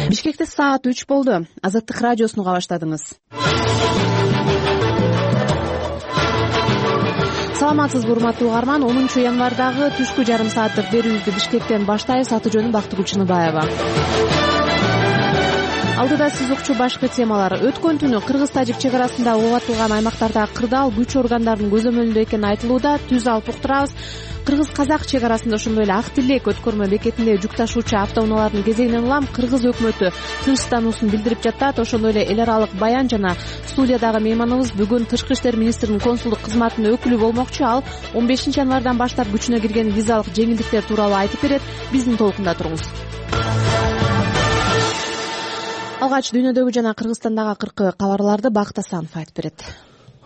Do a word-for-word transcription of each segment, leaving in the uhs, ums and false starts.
Бишкекте саат үч болду. Азаттык радиосуну уга баштадыңыз. Саламатсызбы, урматтуу угарман. онунчу январдагы түшкү жарым сааттык берүүбүздү Бишкектен баштайбыз. Аты жөнүм Бактыгүл Чыныбаева. Алдыда сиз укчу башкы темалар. Өткөн түнү Кыргыз-Тажик чек арасында оогатылган аймактарда кырдаал күч органдарынын көзөмөлүндө экени айтылууда. Түз алып уктурабыз. Кыргыз-казак чек арасында ошондой эле Ак Тилек өткөрмө бекетинде жүк ташуучу автоунаалардын кезегинен улам Кыргыз өкмөтү тынчтануусун билдирип жатат. Ошондой эле эл аралык баян жана студиядагы мейманыбыз бүгүн Тышкы иштер министринин консулдук кызматынын өкүлү болмокчу. Ал он бешинчи январдан баштап күчүнө кирген визалык жеңилдиктер тууралуу айтып берет. Биздин толкунда туруңуз. Алгач дүйнөдөгү жана Кыргызстандагы акыркы кабарларды Бакыт Асанов айтып берет.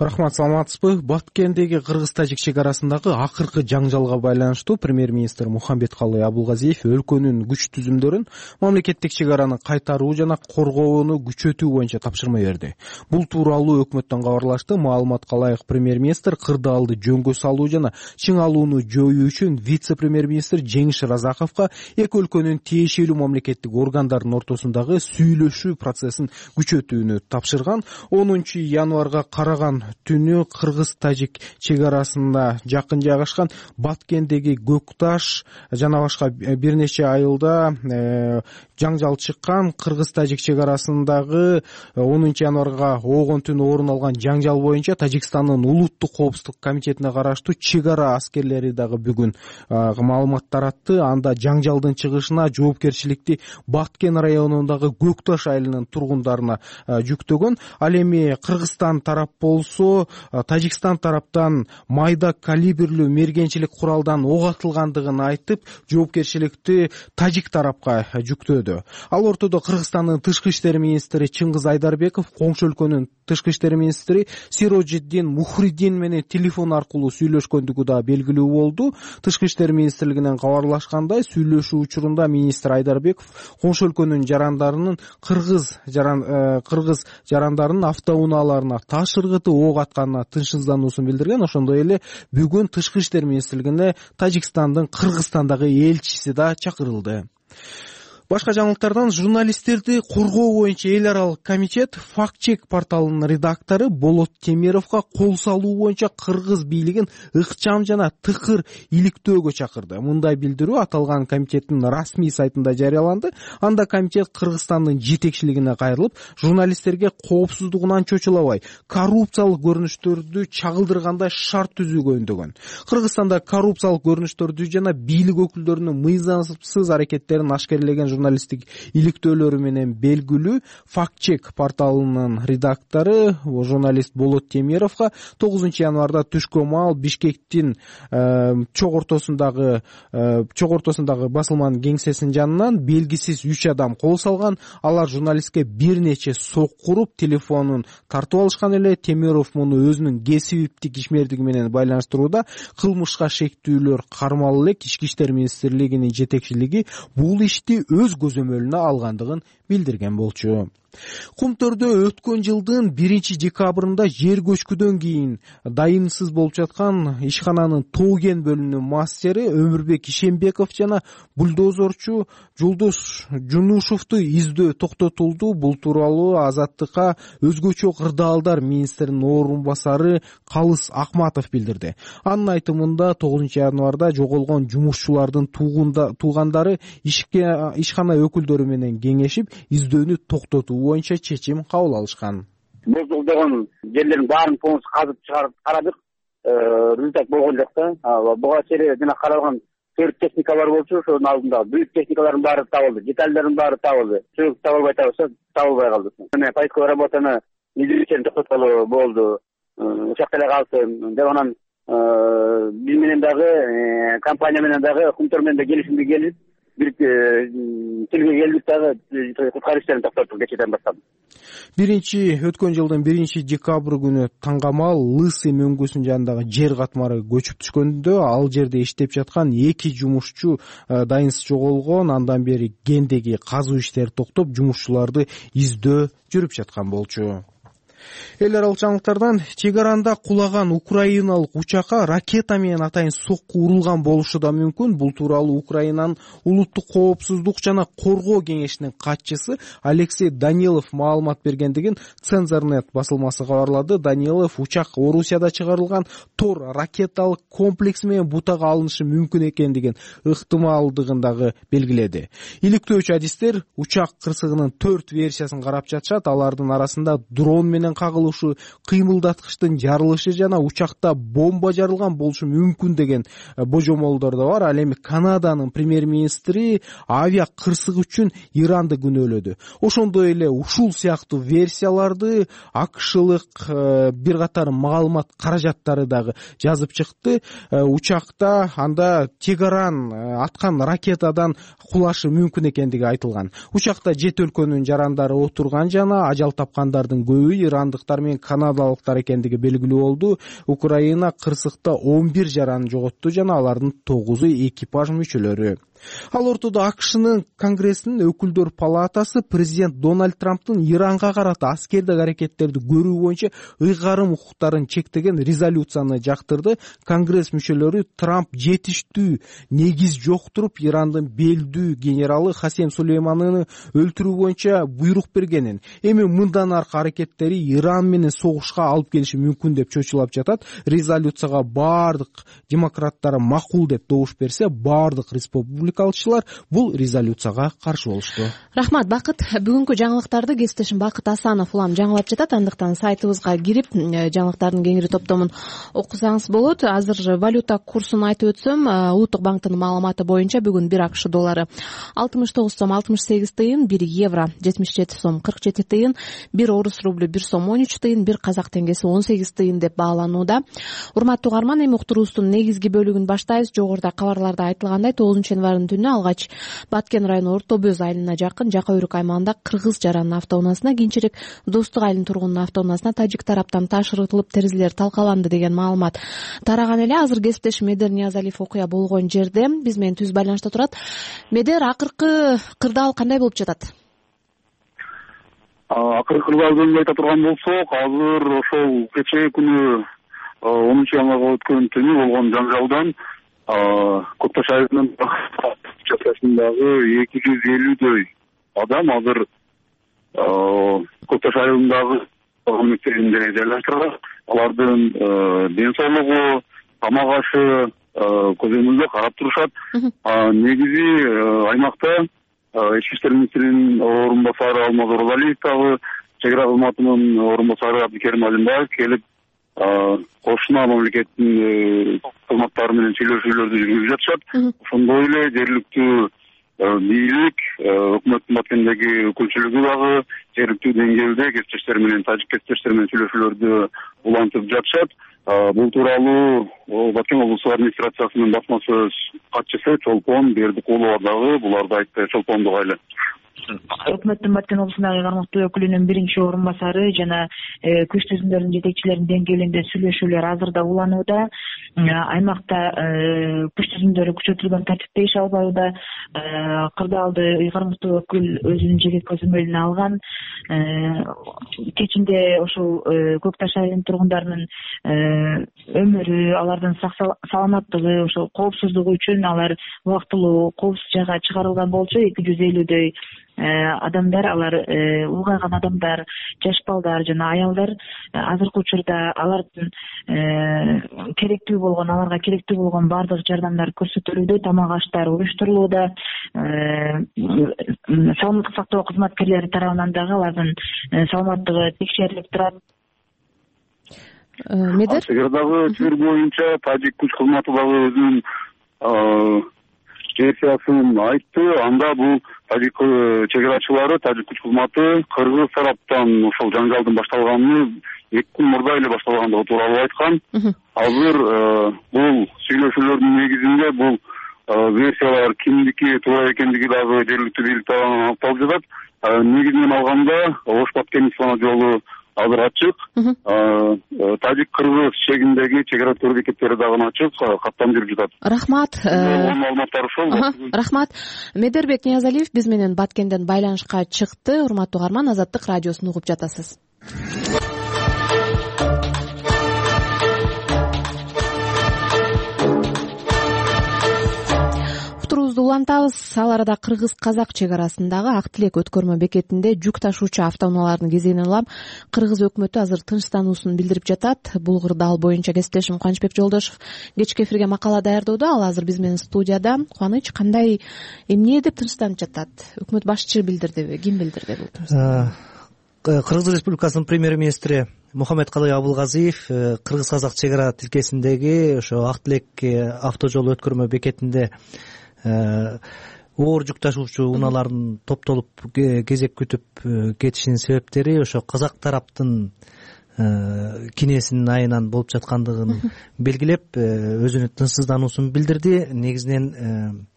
Рахмат, саламатсызбы? Баткендеги Кыргыз-Тажик чек арасындагы акыркы жаңжалга байланыштуу премьер-министр Мухамбеткалый Абулгазиев өлкөнүн күч түзүмдөрүн мамлекеттик чек араны кайтаруу жана коргоону күчөтүү боюнча тапшырма берди. Бул тууралуу өкмөттөн кабарлашты. Маалыматка ылайык премьер-министр кырдаалды жөнгө салуу жана чыңалууну жоюу үчүн вице-премьер-министр Жеңиш Разаковго эки өлкөнүн тиешелүү мамлекеттик органдарынын ортосундагы сүйлөшүү процессин күчөтүүнү тапшырган. онунчу январга караган түнү Кыргыз-Тажик чек арасында жакын жайгашкан Баткендеги Көк Таш жана башка бир нече айылда э, жаңжал чыккан. Кыргыз-Тажик чек арасындагы онунчу январга оогон түнү орун алган жаңжал боюнча Тажикстандын улуттук коопсуздук комитетине караштуу чек ара аскерлери дагы бүгүн маалымат таратты. Анда жаңжалдын чыгышына жоопкерчиликти Баткен районундагы Көк Таш айылынын тургундарына жүктөгөн. Ал эми Кыргызстан тарап болсо Тажикстан тараптан майда калибрлүү мергенчилик куралдан ок атылгандыгын айтып, жоопкерчиликти Тажик тарапка жүктөдү. Ал ортодо Кыргызстандын тышкы иштер министри Чыңгыз Айдарбеков коңшу өлкөнүн тышкы иштер министри Сирожиддин Мухриддин менен телефон аркылуу сүйлөшкөндүгү да белгилүү болду. Тышкы иштер министрлигинен кабарлашкандай, сүйлөшүү учурунда министр Айдарбеков коңшу өлкөнүн жарандарынын кыргыз жаран кыргыз жарандарынын автоунааларына таш ыргыты ок атканына тынчсыздануусун билдирген. Ошондой эле бүгүн Тышкы иштер министрлигине Тажикстандын Кыргызстандагы элчиси да чакырылды. Башка жаңылыктардан журналисттерди коргоо боюнча эл аралык комитет факт-чек порталынын редактору Болот Темировго кол салуу боюнча кыргыз бийлигин ыкчам жана тыкыр иликтөөгө чакырды. Мындай билдирүү аталган комитеттин расмий сайтында жарыяланды. Анда комитет Кыргызстандын жетекчилигине кайрылып, журналисттерге коопсуздугунан чочулабай, коррупциялык көрүнүштөрдү чагылдыргандай шарт түзүүгө үндөгөн. Кыргызстанда коррупциялык көрүнүштөрдү жана бийлик өкүлдөрүнүн мыйзамсыз аракеттерин ашкерлеген журналисттик иликтөөлөрү менен белгилүү факт-чек порталынын редактору журналист Болот Темировго тогузунчу январда түшкө маал Бишкектин э, чок ортосундагы э, чок ортосундагы басылманын кеңсесинин жанынан белгисиз үч адам кол салган. Алар журналистке бир нече сок куруп, телефонун тартып алышкан эле. Темиров муну өзүнүн кесиптик ишмердиги менен байланыштырууда. Кылмышка шектүүлөр кармалып элек. Ички иштер министрлигинин жетекчилиги бул ишти өз көзөмөлүнө алгандыгын билдирген болчу. Кумтөрдө өткөн жылдын биринчи декабрында жер көчкүдөн кийин дайынсыз болуп жаткан ишкананын Тоген бөлүмүнүн мастери Өмүрбек Ишембеков жана бульдозорчу Жулдуш Жунушевду издөө токтотулду. Бул тууралуу Азаттыкка өзгөчө кырдаалдар министринин орун басары Калыс Акматов билдирди. Анын айтымында тогузунчу январда жоголгон жумушчулардын туугандары ишкана өкүлдөрү менен кеңешип, издөөнү токтотуу боюнча чечим кабыл алышкан. Бузулдаган жерлердин баарын полностью казып чыгарып карадык. Результат болгон жок да. Буга чейин жана каралган төрт техникалар болчу. Ошонун алдында büyük техникалардын баары табылды, детальдердин баары табылды. Чөп табылбай табылса, табылбай калды. Мына поисковый работаны изилүүчүн токтотколу болду. Ушакта эле калсын деп анан биз менен дагы компания менен дагы кумтөр менен да келишимге келип бир тилге келдик дагы куткаруу иштерин токтоттук кечээден баштап. Биринчи өткөн жылдын биринчи декабрь күнү таңгамал Лысый мөңгүсүнүн жанындагы жер катмары көчүп түшкөндө ал жерде иштеп жаткан эки жумушчу дайынсыз жоголгон. Андан бери кендеги казуу иштери токтоп, жумушчуларды издөө жүрүп жаткан болчу. эл аралык жаңылыктардан чек аранда кулаган украиналык учакка ракета менен атайын сокку урулган болушу да мүмкүн. Бул тууралуу Украинанын улуттук коопсуздук жана коргоо кеңешинин катчысы Алексей Данилов маалымат бергендигин Цензорнет басылмасы кабарлады. Данилов учак Орусияда чыгарылган Тор ракеталык комплекси менен бутага алынышы мүмкүн экендигин ыктымалдыгын дагы белгиледи. Иликтөөчү адистер учак кырсыгынын төрт версиясын карап жатышат. Алардын арасында дрон менен кагылышы, кыймылдаткычтын жарылышы жана учакта бомба жарылган болушу мүмкүн деген божомолдор да бар. Ал эми Канаданын премьер-министри авиа кырсык үчүн Иранды күнөөлөдү. Ошондой эле ушул сыяктуу версияларды акшылык бир катар маалымат каражаттары дагы жазып чыкты. Учакта анда Тегеран аткан ракетадан кулашы мүмкүн экендиги айтылган. Учакта жети өлкөнүн жарандары отурган жана ажал тапкандардын көбү ирандыктар менен канадалыктар экендиги белгилүү болду. Украина кырсыкта он бир жараны жоготту жана алардын тогузу экипаж мүчөлөрү. Ал ортодо АКШнын Конгрессинин өкүлдөр палатасы президент Дональд Трамптын Иранга карата аскердик аракеттерди көрүү боюнча ыйгарым укуктарын чектеген резолюцияны жактырды. Конгресс мүчөлөрү Трамп жетиштүү негиз жоктуруп Ирандын белдүү генералы Хасем Сулейманины өлтүрүү боюнча буйрук бергенин, эми мындан аркы аракеттери Иран менен согушка алып келиши мүмкүн деп чочулап жатат. Резолюцияга баардык демократтар макул деп добуш берсе, баардык республика калчылар бул резолюцияга каршы болушту. Рахмат, Бакыт. Бүгүнкү жаңылыктарды кесиптешим Бакыт Асанов улам жаңылап жатат. Андыктан сайтыбызга кирип жаңылыктардын кеңири топтомун окусаңыз болот. Азыр валюта курсун айтып өтсөм, Улуттук банктын маалыматы боюнча бүгүн бир АКШ доллары алтымыш тогуз сом алтымыш сегиз тыйын, бир евро жетимиш жети сом кырк жети тыйын, бир орус рублю бир сом он үч тыйын, бир казак теңгеси он сегиз тыйын деп бааланууда. Урматтуу угарман, эми уктуруубуздун негизги бөлүгүн баштайбыз. Жогоруда кабарларда айтылгандай, тогузунчу январь түнү алгач Баткен району Орто Бөз айылына жакын Жака Өрүк аймагында кыргыз жаранын автоунаасына, кийинчерээк Достук айылынын тургунунун автоунаасына тажик тараптан ташыртылып терезелер талкаланды деген маалымат тараган эле. Азыр кесиптешим Медер Ниязалиев окуя болгон жерде биз менен түз байланышта турат. Медер, акыркы кырдаал кандай болуп жатат? Акыркы кырдаал жөнүндө айта турган болсок, азыр ошол кечээ күнү онунчу январга өткөн түнү болгон жанжалдан Көк Таш айылынын участкасындагы эки жүз элүүдөй адам азыр Көк Таш айылындагы мектебинде жайлаштырылат. Алардын ден соолугу, тамак ашы көзөмөлдө карап турушат. Негизи аймакта ички иштер министринин орун басары Алмаз Оразалиев дагы, чек ара кызматынын орун басары Абдикерим Алимбаев келип кошуна мамлекеттин кызматтары менен сүйлөшүүлөрдү жүргүзүп жатышат. Ошондой эле жергиликтүү бийлик, өкмөттүн Баткендеги өкүлчүлүгү дагы жергиликтүү деңгээлде кесиптештер менен, тажик кесиптештер менен сүйлөшүүлөрдү улантып жатышат. Бул тууралуу Баткен облустук администрациясынын басма сөз катчысы Чолпон Бердикулова дагы буларды айтты. Чолпон дугайлы. Өкмөттүн Баткен облусундагы кармактуу өкүлүнүн биринчи орун басары жана күч түзүмдөрдүн жетекчилеринин деңгээлинде сүйлөшүүлөр азырда уланууда. Аймакта күч түзүмдөрү күчөтүлгөн тартипте иш албауда. Кырдаалды кармактуу өкүл өзүнүн жеке көзөмөлүнө алган. Кечинде ошол Көк Таш айылынын тургундарынын өмүрү, алардын сак саламаттыгы, ошол коопсуздугу үчүн алар убактылуу коопсуз жайга чыгарылган болчу. эки жүз элүүдөй адамдар, алар улгайган адамдар, жаш балдар жана аялдар азыркы учурда алардын керектүү болгон, аларга керектүү болгон баардык жардамдар көрсөтүлүүдө, тамак аштар уюштурулууда. Саламаттык сактоо кызматкерлери тарабынан дагы алардын саламаттыгы текшерилип турат. Медер? Чегардагы чыр боюнча тажик күч кызматы дагы өзүнүн версиясын айтты. Анда бул тажик чек арачылары, тажик күч кызматы кыргыз тараптан ошол жанжалдын башталганын эки күн мурда эле башталгандыгы тууралуу айткан. Азыр бул сүйлөшүүлөрдүн негизинде бул версиялар кимдики туура экендиги дагы жергиликтүү бийлик тарабынан аныкталып жатат. Негизинен алганда Ош Баткен ислама жолу азыр ачык. Тажик кыргыз чегиндеги чек ара өткөрүү бекеттери дагы ачык, каттам жүрүп жатат. Рахмат. Маалыматтар ошол. Рахмат. Медербек Ниязалиев биз менен Баткенден байланышка чыкты. Урматтуу угарман, Азаттык радиосун угуп жатасыз. улантабыз. Ал арада кыргыз казак чек арасындагы Ак Тилек өткөрмө бекетинде жүк ташуучу автоунаалардын кезегинен улам кыргыз өкмөтү азыр тынчтануусун билдирип жатат. Бул кырдаал боюнча кесиптешим Кубанычбек Жолдошев кечки эфирге макала даярдоодо. Ал азыр биз менен студияда. Кубаныч, кандай, эмне деп тынчтанып жатат? Өкмөт башчы билдирдиби? Ким билдирди бул тынчтанууну? Кыргыз Республикасынын премьер-министри Мухаммедкалый Абылгазиев кыргыз казак чек ара тилкесиндеги ошо Ак Тилек автожол өткөрмө бекетинде оор жүк ташуучу унаалардын топтолуп кезек күтүп кетишинин себептери ошо казак тараптын кинесинин айынан болуп жаткандыгын белгилеп, өзүнүн тынчсыздануусун билдирди. Негизинен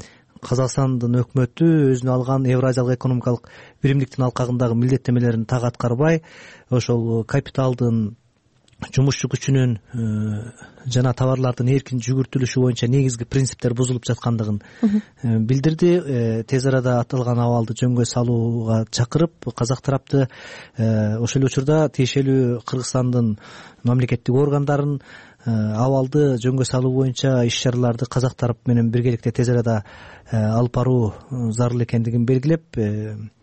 Казакстандын өкмөтү өзүнө алган Евразиялык экономикалык биримдиктин алкагындагы милдеттемелерин так аткарбай, ошол капиталдын, жумушчу күчүнүн жана товарлардын эркин жүгүртүлүшү боюнча негизги принциптер бузулуп жаткандыгын билдирди. Тез арада аталган абалды жөнгө салууга чакырып, казак тарапты ошол эле учурда тиешелүү Кыргызстандын мамлекеттик органдарын абалды жөнгө салуу боюнча иш чараларды казак тарап менен биргеликте тез арада алып баруу зарыл экендигин белгилеп,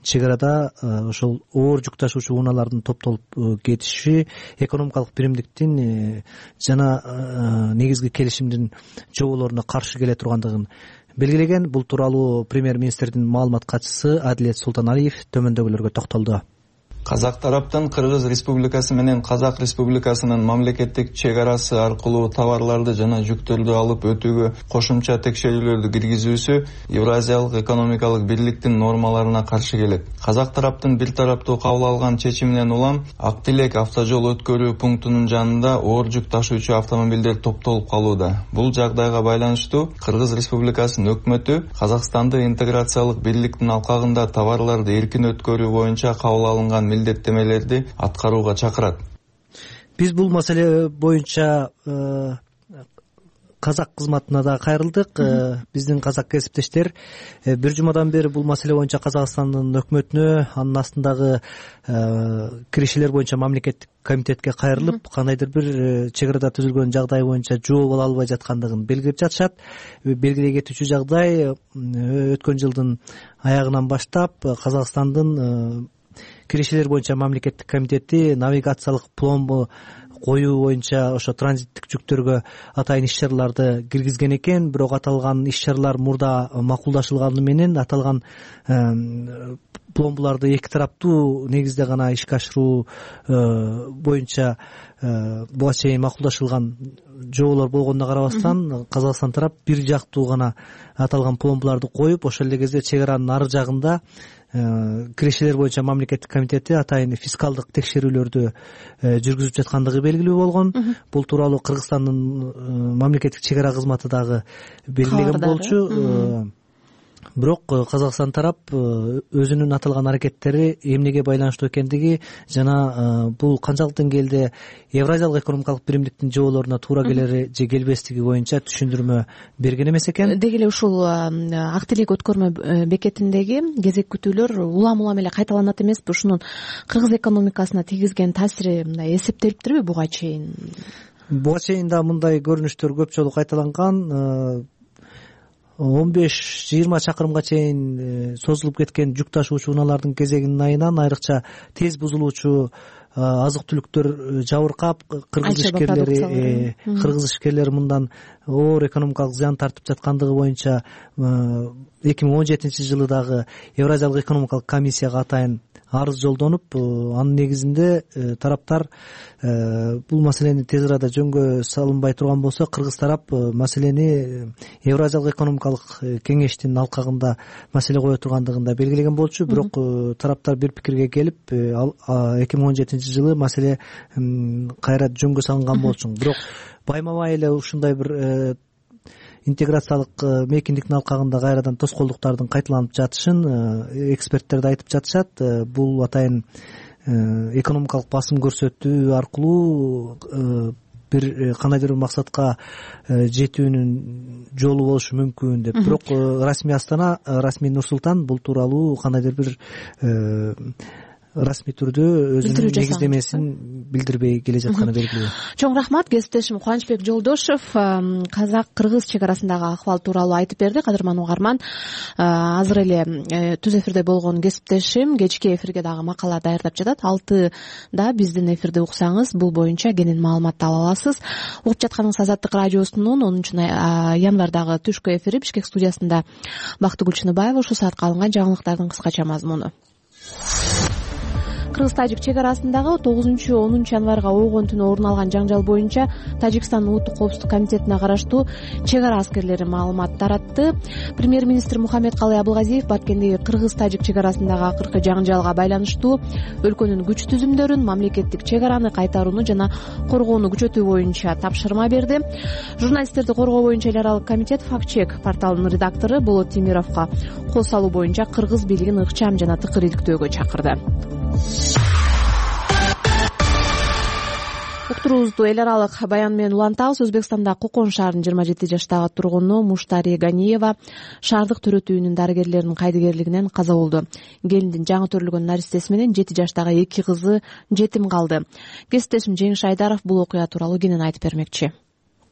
чек арада ошол оор жүк ташуучу унаалардын топтолуп кетиши экономикалык биримдиктин жана негизги келишимдин жоболоруна каршы келе тургандыгын белгилеген. Бул тууралуу премьер-министрдин маалымат катчысы Адилет Султаналиев төмөндөгүлөргө токтолду. Казак тараптан Кыргыз Республикасы менен Казак Республикасынын мамлекеттик чек арасы аркылуу товарларды жана жүктөрдү алып өтүүгө кошумча текшерүүлөрдү киргизүүсү Евразиялык экономикалык бирликтин нормаларына каршы келет. Казак тараптын бир тараптуу кабыл алган чечиминен улам Ак Тилек автожол өткөрүү пунктунун жанында оор жүк ташуучу автомобилдер топтолуп калууда. Бул жагдайга байланыштуу Кыргыз Республикасынын өкмөтү Казакстанды интеграциялык бирликтин алкагында товарларды эркин өткөрүү боюнча кабыл алынган милдеттемелерди аткарууга чакырат. Биз бул маселе боюнча казак кызматына да кайрылдык. Биздин казак кесиптештер бир жумадан бери бул маселе боюнча Казакстандын өкмөтүнө, анын астындагы киришелер боюнча мамлекеттик комитетке кайрылып, кандайдыр бир чек арада түзүлгөн жагдай боюнча жооп ала албай жаткандыгын белгилеп жатышат. Белгилей кетүүчү жагдай, өткөн жылдын аягынан баштап Казакстандын киришелер боюнча мамлекеттик комитети навигациялык пломбу коюу боюнча ошо транзиттик жүктөргө атайын иш чараларды киргизген экен. Бирок аталган иш чаралар мурда макулдашылганы менен аталган пломбуларды эки тараптуу негизде гана ишке ашыруу боюнча буга чейин макулдашылган жоболор болгонуна карабастан, Казакстан тарап бир жактуу гана аталган пломбуларды коюп, ошол эле кезде чек аранын ары жагында киришелер боюнча мамлекеттик комитети атайын фискалдык текшерүүлөрдү жүргүзүп жаткандыгы белгилүү болгон. Бул тууралуу Кыргызстандын мамлекеттик чек ара кызматы дагы белгилеген болчу. Бирок Казакстан тарап өзүнүн аталган аракеттери эмнеге байланыштуу экендиги жана бул канчалык деңгээлде Евразиялык экономикалык биримдиктин жоболоруна туура келери же келбестиги боюнча түшүндүрмө берген эмес экен. Деги эле ушул Ак Тилек өткөрмө бекетиндеги кезек күтүүлөр улам улам эле кайталанат эмеспи? Ушунун кыргыз экономикасына тийгизген таасири мындай эсептелиптирби буга чейин? Буга чейин да мындай көрүнүштөр көп жолу кайталанган. он беш жыйырма чакырымга чейин созулуп кеткен жүк ташуучу унаалардын кезегинин айынан айрыкча тез бузулуучу азык түлүктөр жабыркап, кыргыз ишкерлери кыргыз ишкерлери мындан оор экономикалык зыян тартып жаткандыгы боюнча эки миң он жетинчи жылы дагы Евразиялык экономикалык комиссияга атайын арыз жолдонуп, анын негизинде тараптар бул маселени тез арада жөнгө салынбай турган болсо, кыргыз тарап маселени Евразиялык экономикалык кеңештин алкагында маселе кое тургандыгын да белгилеген болчу. Бирок тараптар бир пикирге келип, эки миң он жетинчи жылы маселе кайра жөнгө салынган болчу. Бирок байма-бай эле ушундай бир интеграциялык мейкиндиктин алкагында кайрадан тоскоолдуктардын кайталанып жатышын эксперттер да айтып жатышат. Бул атайын экономикалык басым көрсөтүү аркылуу бир кандайдыр бир максатка жетүүнүн жолу болушу мүмкүн деп. Бирок расмий Астана, расмий Нур Султан бул тууралуу кандайдыр бир расмий түрдө өзүнүн негиздемесин билдирбей келе жатканы белгилүү. Чоң рахмат. Кесиптешим Кубанычбек Жолдошев казак-кыргыз чек арасындагы акыбал тууралуу айтып берди. Кадырман угарман, азыр эле түз эфирде болгон кесиптешим кечки эфирге дагы макала даярдап жатат. Алтыда биздин эфирди уксаңыз бул боюнча кенен маалыматты ала аласыз. Угуп жатканыңыз Азаттык радиосунун онунчу январдагы түшкү эфири. Бишкек студиясында Бактыгүл Чыныбаева. Ушул саатка алынган жаңылыктардын кыскача мазмуну. Кыргыз-тажик чек арасындагы тогузунчу онунчу январга ойгон түнү орун алган жаңжал боюнча Тажикстандын улуттук коопсуздук комитетине караштуу чек ара аскерлери маалымат таратты. Премьер-министр Мухаммедкалый Абылгазиев Баткендеги кыргыз-тажик чек арасындагы акыркы жаңжалга байланыштуу өлкөнүн күч түзүмдөрүн, мамлекеттик чек араны кайтарууну жана коргоону күчөтүү боюнча тапшырма берди. Журналисттерди коргоо боюнча эл аралык комитет Фактчек порталынын редактору Болот Темировго кол салуу боюнча кыргыз бийлигин ыкчам жана тыкыр иликтөөгө чакырды. Уктуруубузду эл аралык баян менен улантабыз. Өзбекстанда Кокон шаарынын жыйырма жети жаштагы тургуну Муштари Ганиева шаардык төрөт үйүнүн дарыгерлеринин кайдыгерлигинен каза болду. Келиндин жаңы төрөлгөн наристеси менен жети жаштагы эки кызы жетим калды. Кесиптешим Жеңиш Айдаров бул окуя тууралуу кенен айтып бермекчи.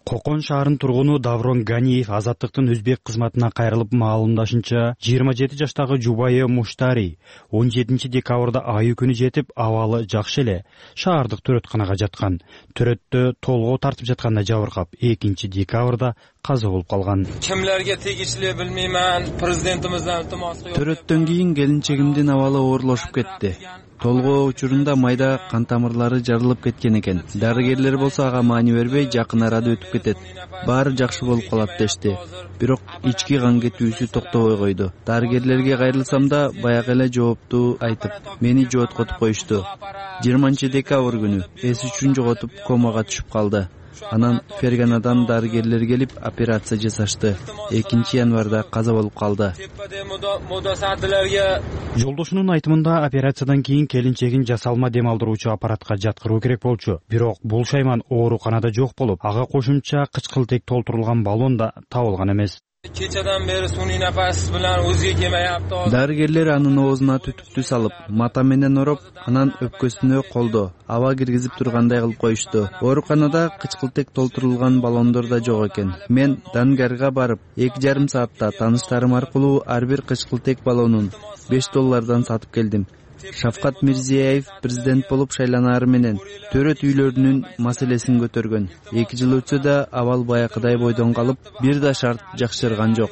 Кокон шаарынын тургуну Даврон Ганиев Азаттыктын өзбек кызматына кайрылып маалымдашынча, жыйырма жети жаштагы жубайы Муштари он жетинчи декабрда айы күнү жетип, абалы жакшы эле шаардык төрөтканага жаткан. Төрөттө толгоо тартып жатканда жабыркап, экинчи декабрда каза болуп калган. Кимлерге тегишлүү билмеймин, президентибизден илтимос кылып. Төрөттөн кийин келинчегимдин абалы оорлошуп кетти. Толгоо учурунда майда кан тамырлары жарылып кеткен экен. Дарыгерлер болсо ага маани бербей, жакын арада өтүп кетет. Баары жакшы болуп калат дешти. Бирок ички кан кетүүсү токтобой койду. Дарыгерлерге кайрылсам да баягы эле жоопту айтып, мени жооткотуп коюшту. жыйырманчы декабрь күнү эс үчүн жоготуп комага түшүп калды. Анан Ферганадан дарыгерлер келип операция жасашты. экинчи январда каза болуп калды. Жолдошунун айтымында операциядан кийин келинчегин жасалма дем алдыруучу аппаратка жаткыруу керек болчу. Бирок бул шайман ооруканада жок болуп, ага кошумча кычкылтек толтурулган баллон да табылган эмес. Кечеден бери сунуй нафас менен өзгө келмейапты. Дарыгерлер анын оозуна түтүктү салып, мата менен ороп, анан өпкөсүнө колдо, аба киргизип тургандай кылып коюшту. Ооруканада кычкылтек толтурулган баллондор да жок экен. Мен Дангарга барып, эки жарым саатта тааныштарым аркылуу ар бир кычкылтек баллонун беш доллардан сатып келдим. Шавкат Мирзиеев президент болуп шайланары менен төрөт үйлөрүнүн маселесин көтөргөн. эки жыл өтсө да абал баякыдай бойдон калып, бир да шарт жакшырган жок.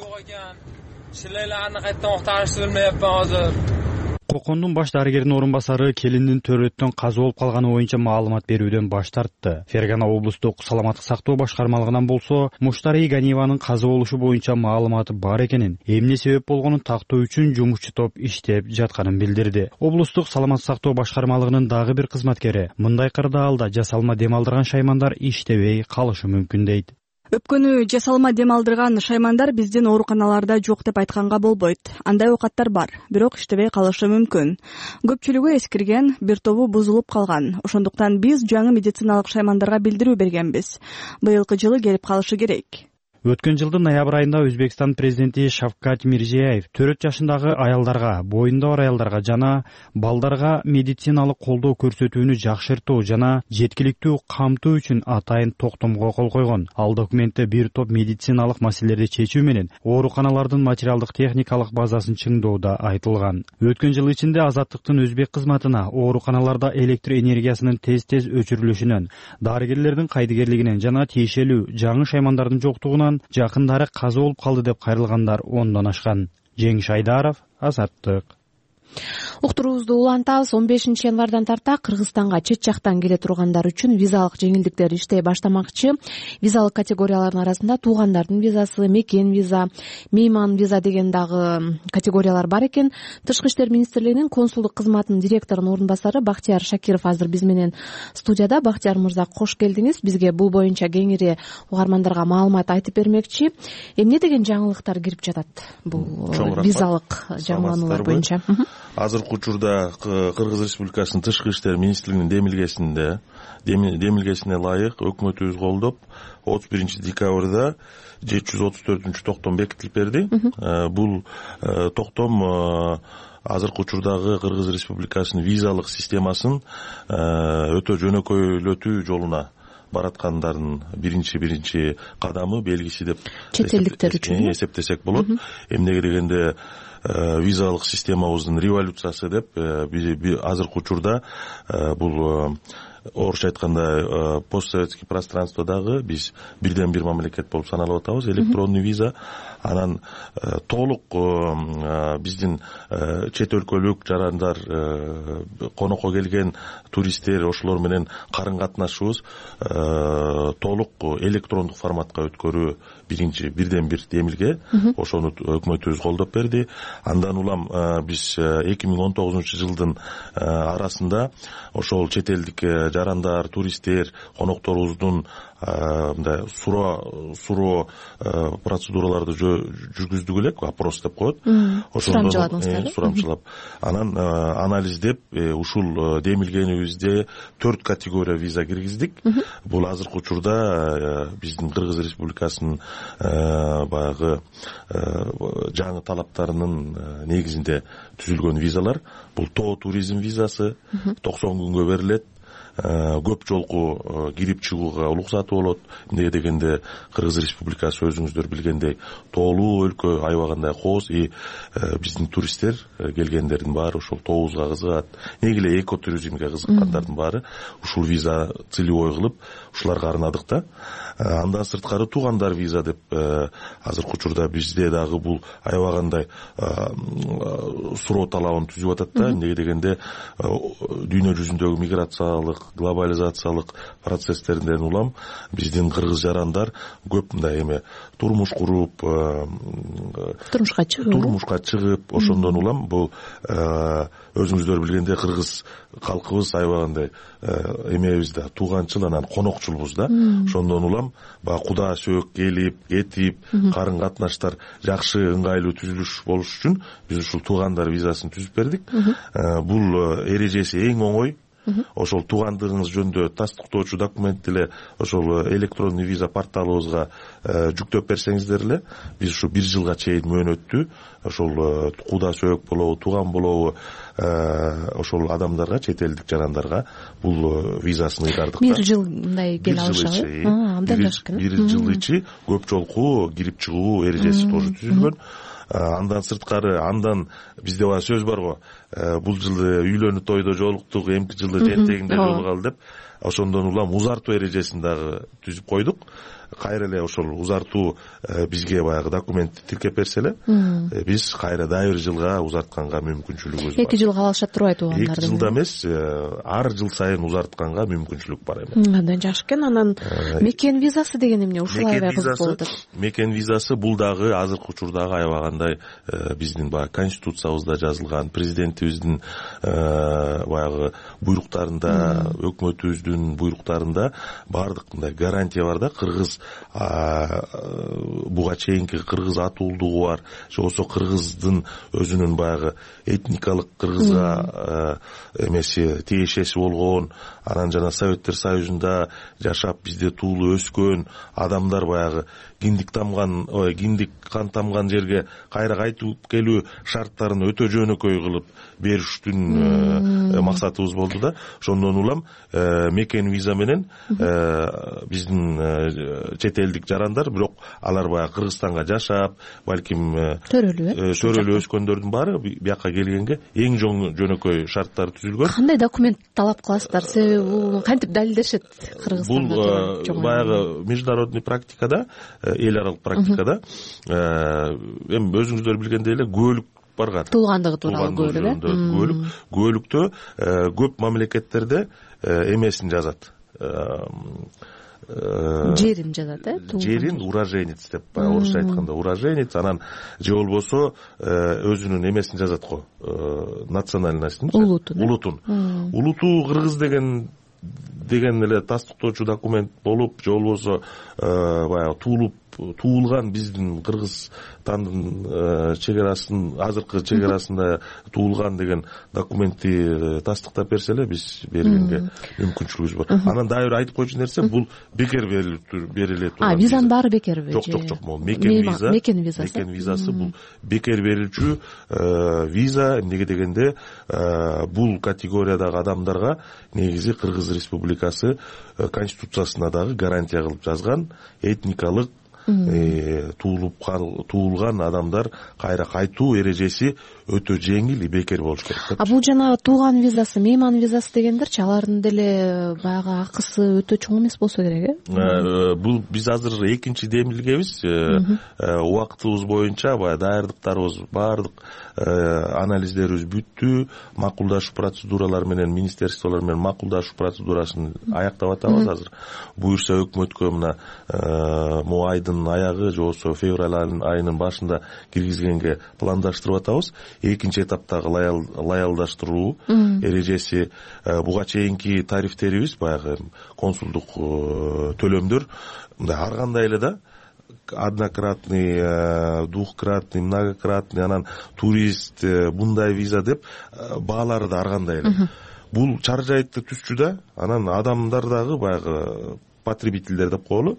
Кокондун баш дарыгеринин орун басары келиндин төрөттөн каза болуп калганы боюнча маалымат берүүдөн баш тартты. Фергана облустук саламаттык сактоо башкармалыгынан болсо, Муштари Ганиеванын каза болушу боюнча маалыматы бар экенин, эмне себеп болгонун тактоо үчүн жумушчу топ иштеп жатканын билдирди. Облустук саламаттык сактоо башкармалыгынын дагы бир кызматкери мындай кырдаалда жасалма дем алдырган шаймандар иштебей калышы мүмкүн дейт. Өпкөнү жасалма дем алдырган шаймандар биздин ооруканаларда жок деп айтканга болбойт. Андай оокаттар бар, бирок иштебей калышы мүмкүн. Көпчүлүгү эскирген, бир тобу бузулуп калган. Ошондуктан биз жаңы медициналык шаймандарга билдирүү бергенбиз. Быйылкы жылы келип калышы керек. Өткөн жылдын ноябрь айында Өзбекстан президенти Шавкат Мирзиеев төрт жашындагы аялдарга, боюнда бар аялдарга жана балдарга медициналык колдоо көрсөтүүнү жакшыртуу жана жеткиликтүү камтуу үчүн атайын токтомго кол койгон. Ал документте бир топ медициналык маселелерди чечүү менен ооруканалардын материалдык техникалык базасын чыңдоо да айтылган. Өткөн жыл ичинде Азаттыктын өзбек кызматына ооруканаларда электр энергиясынын тез-тез өчүрүлүшүнөн, дарыгерлердин кайдыгерлигинен жана тиешелүү жаңы шаймандардын жоктугунан жакындары каза болуп калды деп кайрылгандар ондон ашкан. Жеңиш Айдаров, Азаттык. Уктуруубузду улантабыз. он бешинчи январдан тарта Кыргызстанга чет жактан келе тургандар үчүн визалык жеңилдиктер иштей баштамакчы. Визалык категориялардын арасында туугандардын визасы, мекен виза, мейман виза деген дагы категориялар бар экен. Тышкы иштер министрлигинин консулдук кызматынын директорунун орун басары Бактияр Шакиров азыр биз менен студияда. Бактияр мырза, кош келдиңиз. Бизге бул боюнча кеңири угармандарга маалымат айтып бермекчи. Эмне деген жаңылыктар кирип жатат бул визалык жаңылануулар боюнча? Азыркы учурда Кыргыз Республикасынын Тышкы иштер министрлигинин демилгесинде демилгесине ылайык өкмөтүбүз колдоп отуз биринчи декабрда жети жүз отуз төртүнчү токтом бекитилип берди. Бул токтом азыркы учурдагы Кыргыз Республикасынын визалык системасын өтө жөнөкөйлөтүү жолуна бараткандардын биринчи биринчи кадамы, белгиси деп чет элдиктер үчүн эсептесек болот. Эмнеге дегенде визалык системабыздын революциясы деп азыркы учурда бул орусча айтканда постсоветский пространстводагы биз бирден бир мамлекет болуп саналып атабыз, электронный виза. Анан толук биздин чет өлкөлүк жарандар, конокко келген туристтер, ошолор менен карын катнашыбыз толук электрондук форматка өткөрүү биринчи бирден бир демилге. Ошону өкмөтүбүз колдоп берди. Андан улам биз эки миң он тогузунчу жылдын арасында ошол чет элдик жарандар, туристтер, конокторубуздун мындай суроо суроо процедураларды жүргүздүк элек, опрос деп коет. Сурамчыладыңыздар? Сурамчылап. Анан анализдеп ушул демилгенибизде төрт категория виза киргиздик. Бул азыркы учурда биздин Кыргыз Республикасынын баягы жаңы талаптарынын негизинде түзүлгөн визалар. Бул тоо туризм визасы токсон күнгө берилет. Көп жолку кирип чыгууга уруксаты болот. Эмнеге дегенде Кыргыз Республикасы өзүңүздөр билгендей тоолуу өлкө, аябагандай кооз, и биздин туристтер келгендердин баары ошол тообузга кызыгат. Неге эле экотуризмге кызыккандардын баары ушул виза целевой кылып ушуларга арнадык да. Андан сырткары туугандар виза деп азыркы учурда бизде дагы бул аябагандай суроо талабын түзүп атат да. Эмнеге дегенде дүйнө жүзүндөгү миграциялык, глобализациялык процесстерден улам биздин кыргыз жарандар көп мындай эме турмуш куруп, турмушка чыгып, турмушка чыгып, ошондон улам бул өзүңүздөр билгендей кыргыз калкыбыз аябагандай эмебиз да, тууганчыл, анан конокчулбуз да. Ошондон улам баягы куда сөөк келип, кетип, карын катнаштар жакшы, ыңгайлуу түзүлүш болуш үчүн биз ушул туугандар визасын түзүп бердик. Бул эрежеси эң оңой. Ошол туугандыгыңыз жөнүндө тастыктоочу документти эле ошол электронный виза порталыбызга жүктөп берсеңиздер эле, биз ушу бир жылга чейин мөөнөттү ошол куда сөөк болобу, тууган болобу ошол адамдарга, чет элдик жарандарга бул визасын ыйдардык. Бир жыл мындай келе алышабы? Абдан жакшы экен. Бир жыл ичи көп жолку кирип чыгуу эрежеси тоже түзүлгөн. Андан сырткары, андан бизде баа сөз бар го, бул жылы үйлөнүү тойдо жолуктук, эмки жылы жентегинде жолугалы деп. Ошондон улам узартуу эрежесин дагы түзүп койдук. Кайра эле ошол узартуу бизге баягы документти тиркеп берсе эле, биз кайра дагы бир жылга узартканга мүмкүнчүлүгүбүз бар. Эки жылга алышат турбайт туугандарды? Эки жылда эмес, ар жыл сайын узартканга мүмкүнчүлүк бар эми. Абдан жакшы экен. Анан мекен визасы деген эмне? Ушул аябай кызык болуп атат. Мекен визасы бул дагы азыркы учурдагы аябагандай биздин баягы конституциябызда жазылган, президентибиздин баягы буйруктарында, өкмөтүбүздүн буйруктарында баардык мындай гарантия бар да. Кыргыз буга чейинки кыргыз атуулдугу бар, же болбосо кыргыздын өзүнүн баягы этникалык кыргызга эмеси тиешеси болгон, анан жана Советтер Союзунда жашап бизде туулуп өскөн адамдар баягы киндик тамган, ой, киндик кан тамган жерге кайра кайтып келүү шарттарын өтө жөнөкөй кылып бериштин максатыбыз болду да. Ошондон улам мекен виза менен биздин чет элдик жарандар, бирок алар баягы Кыргызстанга жашап, балким төрөлүп төрөлүп өскөндөрдүн баары бияка келгенге эң жөнөкөй шарттар түзүлгөн. Кандай документ талап кыласыздар? Себеби бул кантип далилдешет Кыргызстанда? Бул баягы международный практикада, эл аралык практикада эми өзүңүздөр билгендей эле күбөлүк барган. Туулгандыгы тууралуу күбөлүк, э? Күбөлүк. Күбөлүктө көп мамлекеттерде эмесин жазат. Жерин жазат, э? Жерин уроженец деп, орусча айтканда уроженец, анан же болбосо өзүнүн эмесин жазат го, национальностун, улутун. Улутун. Улуту кыргыз деген деген эле тастыктоочу документ болуп, же болбосо баягы туулуп туулган биздин Кыргызстандын чек арасын азыркы чек арасында туулган деген документти тастыктап берсе эле биз бергенге мүмкүнчүлүгүбүз бар. Анан дагы бир айтып койчу нерсе, бул бекер бериле турган. А, визанын баары бекерби? Жок, жок, жок. Могу мекен виза. Мекен визасы. Мекен визасы бул бекер берилчү виза. Эмнеге дегенде, бул категориядагы адамдарга негизи Кыргыз Республикасы Конституциясына дагы гарантия кылып жазган этникалык туулуп туулган адамдар кайра кайтуу эрежеси өтө жеңил и бекер болуш керек. А бул жана тууган визасы, мейман визасы дегендерчи, алардын деле баягы акысы өтө чоң эмес болсо керек, э? Бул биз азыр экинчи демилгебиз. Убактыбыз боюнча баягы даярдыктарыбыз, баардык анализдерибиз бүттү. Макулдашуу процедуралары менен, министерстволор менен макулдашуу процедурасын аяктап атабыз азыр. Буюрса өкмөткө мына могу айдын аягы же болбосо февраль айынын башында киргизгенге пландаштырып атабыз. Экинчи этаптагы лаялдаштыруу эрежеси, буга чейинки тарифтерибиз, баягы консулдук төлөмдөр ар кандай эле да, однократный, двухкратный, многократный, анан турист, мындай виза деп баалары да ар кандай эле. Бул чаржайтты түзчү да, анан адамдар дагы баягы потребительдер деп коелу,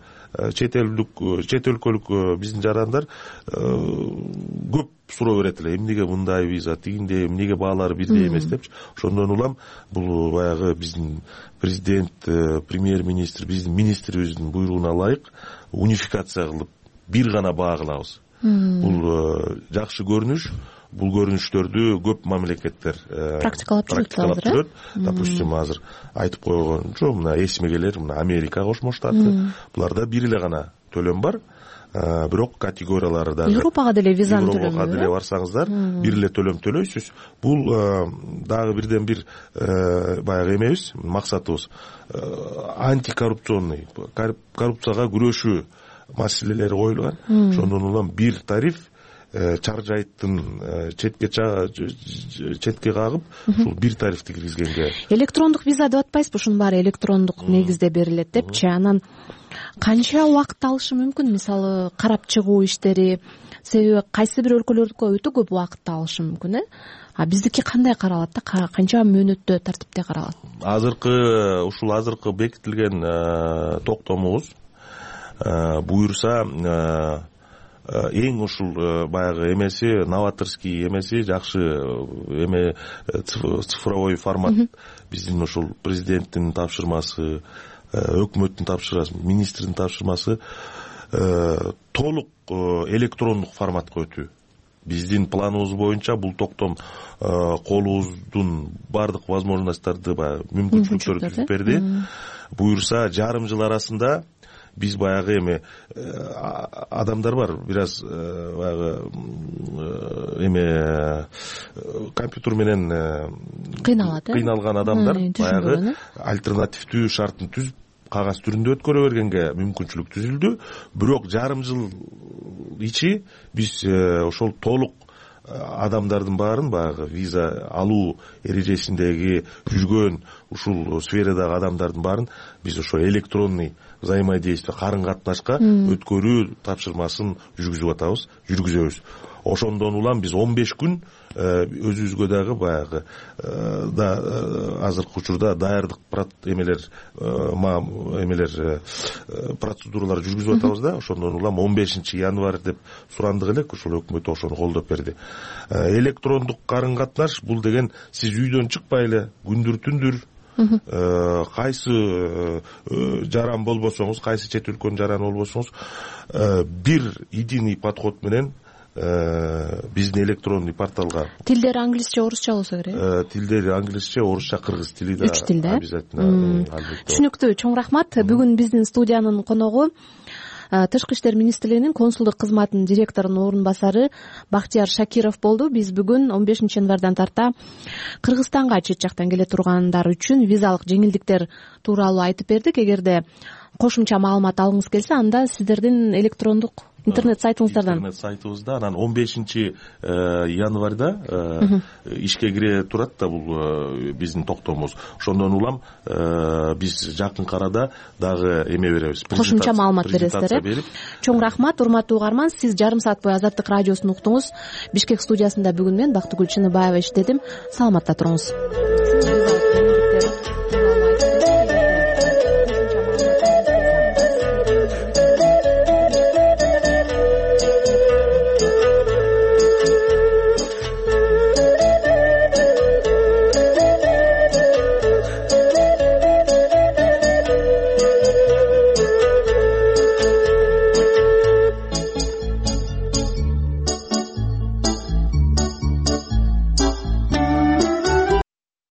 чет элдик, чет өлкөлүк биздин жарандар көп суроо берет эле, эмнеге мындай виза, тигиндей, эмнеге баалары бирдей эмес депчи. Ошондон улам бул баягы биздин президент, премьер-министр, биздин министрибиздин буйругуна ылайык унификация кылып бир гана баа кылабыз. Бул жакшы көрүнүш. Бул көрүнүштөрдү көп мамлекеттер практикалап жүрөт. Допустим, азыр айтып койгончу, мына эсиме келер, мына Америка Кошмо Штаты, буларда бир эле гана төлөм бар. Бирок категориялары дагы Европага деле визаны төлөмү. Европага деле барсаңыздар, бир эле төлөм төлөйсүз. Бул дагы бирден бир баягы эмебиз, максатыбыз антикоррупционный, коррупцияга күрөшүү маселелери коюлган. Ошондон улам бир тариф чаржайттын четке четке кагып, ушул бир тарифти киргизгенге. Электрондук виза деп атпайсызбы? Ушунун баары электрондук негизде берилет депчи. Анан канча убакыт алышы мүмкүн? Мисалы, карап чыгуу иштери, себеби кайсы бир өлкөлөрдүкү өтө көп убакытты алышы мүмкүн, э? А биздики кандай каралат да? Канча мөөнөттө, тартипте каралат? Азыркы ушул азыркы бекитилген токтомубуз буюрса эң ушул баягы эмеси, новаторский эмеси, жакшы эме цифровой формат. Биздин ушул президенттин тапшырмасы, өкмөттүн тапшырмасы, министрдин тапшырмасы толук электрондук форматка өтүү. Биздин планыбыз боюнча бул токтом колубуздун бардык возможностторду, баягы мүмкүнчүлүктөрү түзүп берди. Буюрса жарым жыл арасында биз баягы эме адамдар бар, бир аз баягы эме компьютер менен кыйналат, кыйналган адамдар баягы альтернативдүү шартын түзүп кагаз түрүндө өткөрө бергенге мүмкүнчүлүк түзүлдү. Бирок жарым жыл ичи биз ошол толук адамдардын баарын баягы виза алуу эрежесиндеги жүргөн ушул сферадагы адамдардын баарын биз ошо электронный взаимодействие, карын катнашка өткөрүү тапшырмасын жүргүзүп атабыз, жүргүзөбүз. Ошондон улам биз он беш күн өзүбүзгө дагы баягы да азыркы учурда даярдык эмелер эмелер процедуралар жүргүзүп атабыз да. Ошондон улам он бешинчи январь деп сурандык элек, ошол өкмөт ошону колдоп берди. Электрондук карын катнаш бул деген сиз үйдөн чыкпай эле күндүр түндүр кайсы жаран болбосоңуз, кайсы чет өлкөнүн жараны болбосоңуз, бир единый подход менен биздин электронный порталга. Тилдери англисче, орусча болсо керек. Тилдери англисче, орусча, кыргыз тили да. Үч тилде обязательно. Түшүнүктүү, чоң рахмат. Бүгүн биздин студиянын коногу Тышкы иштер министрлигинин консулдук кызматынын директорунун орун басары Бактияр Шакиров болду. Биз бүгүн он бешинчи январдан тарта Кыргызстанга чет жактан келе тургандар үчүн визалык жеңилдиктер тууралуу айтып бердик. Эгерде кошумча маалымат алгыңыз келсе, анда сиздердин электрондук интернет сайтыңыздардан. Интернет сайтыбызда анан он бешинчи январда ишке кире турат да бул биздин токтомубуз. Ошондон улам биз жакынкы арада дагы эме беребиз, кошумча маалымат бересиздер э чоң рахмат. Урматтуу угарман, сиз жарым саат бою Азаттык радиосун уктуңуз. Бишкек студиясында бүгүн мен Бактыгүл Чыныбаева иштедим. Саламатта туруңуз.